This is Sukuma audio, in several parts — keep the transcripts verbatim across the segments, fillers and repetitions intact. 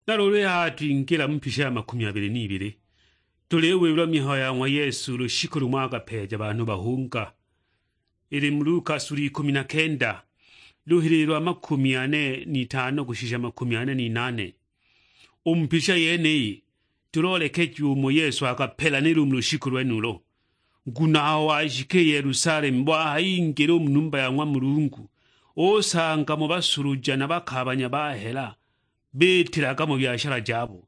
Na luulu i haha twingila mu mpisha ya makumi abili n'ibili, tuliwilwa mihayo ya ng'wa Yesu lushiku lumo akapeeja banhu bahunga. Ili mu Luka sula ikumi na kenda, luhilili lwa makumi ane n'itano kushisha makumi ane n'inane. U mu mpisha yeniyi, tuloolekejiwa umo Yesu akapelanila u mu lushiku lwenulo. Nguno aho washika i Yelusalemu, wahayingila u mu numba ya ng'wa Mulungu, usanga mo basuluja na bakaabanya ba hela biitilaga mu byashala jabo.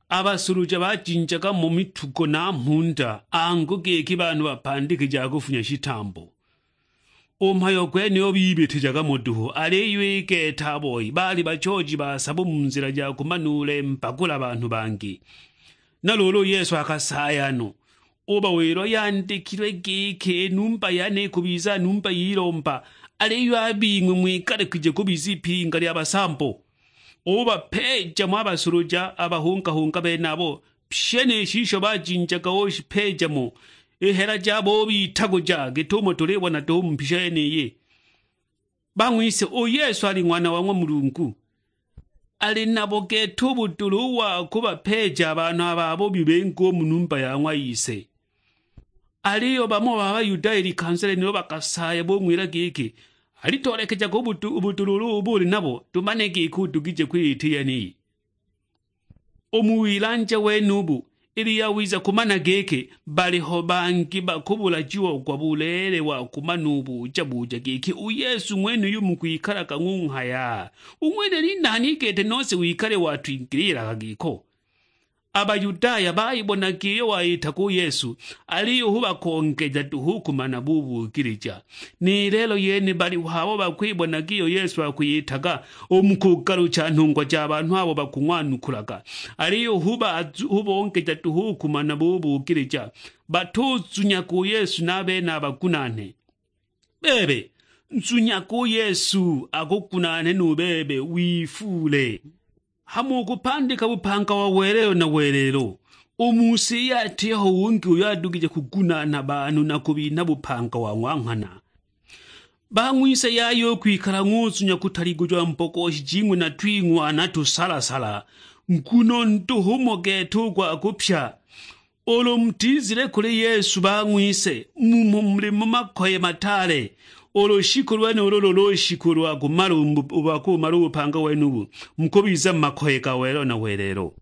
A basuluja bajinjaga mo mitugo na mhunda, angu giki banhu bapandikija kufunya shitambo. U mhayo gwenuyo bibitijaga mo duhu, aliyo i gete a boi baali bachooji ba sabo mu nzila ja kumanuulemba kuli a banhu bangi. Na luulu u Yesu akasaaya no, ubawila, "Yandikilwe giki, 'I numba yane ikubiza numba y'ilomba,' aliyo a bing'we ng'wigalukije kubiza ipinga lya basambo." Ubapeeja mo a basuluja a bahungahunga benabo, pyi ni shisho bajinjaga ushipeeja mo, i hela jabo ubitaguja, git'umo tulibona duhu mu mpisha yeniyi. Bang'wise, u Yesu ali Ng'wana wa ng'wa Mulungu. Ali nabo gete u budula u wa kubapeeja a banhu a babubi bingi u mu numba ya ng'wa Ise. Aliyo bamo ba Bayudaya i likanza lyenilo bakasaaya, bung'wila giki, "Alitoolekejaga u budu-, u budula ulu ubo uli nabo, tumane giki udugije kwita i yeniyi." U mu wilanja wenubu, ili yawiza kumana giki, baliho bangi bakubulajiagwa buleele wa kumana ubuja-buja giki, "U Yesu ng'wenuyu mukwikalaga ng'unghaya? U ng'wene ni nani gete nose wikale watwingililaga giko?" A Bayudaya bayibonaga iyo wayitaga u Yesu, aliyo hu bakongeja duhu u kumana bubuukilija. Ni lelo yene baliho abo bakwibonaga iyo Yesu akwiyitaga u mu kugalucha nhungwa ja banhu abo bakung'wanukulaga, aliyo hu ba-, hu bongeja duhu u kumana bubuukilija. Batuzunyaga u Yesu na a bene a bagunaane. Bebe, nzunyaga u Yesu akugunaane nu bebe wifuule. Hama ukupandika bupanga wa welelo na welelo. U mu si iyi atiho ungi uyo adugije kugunaana banhu na kubinha bupanga wa ng'wa nghana. Bang'wise yaya u kwikala ng'uzunya kutaligujwa mbogoshi jing'we na twing'wana tusalasala, nguno nduhu mo gete u gwa kupya. Ulu mutizile kuli Yesu bang'wise, mumo muli mu makoye mataale. U lushiku lwenulo ulu lushiku lwa kumala u bu-, lwa kumala u bupanga wenubu, mukubiza mu makoye ga welelo na welelo.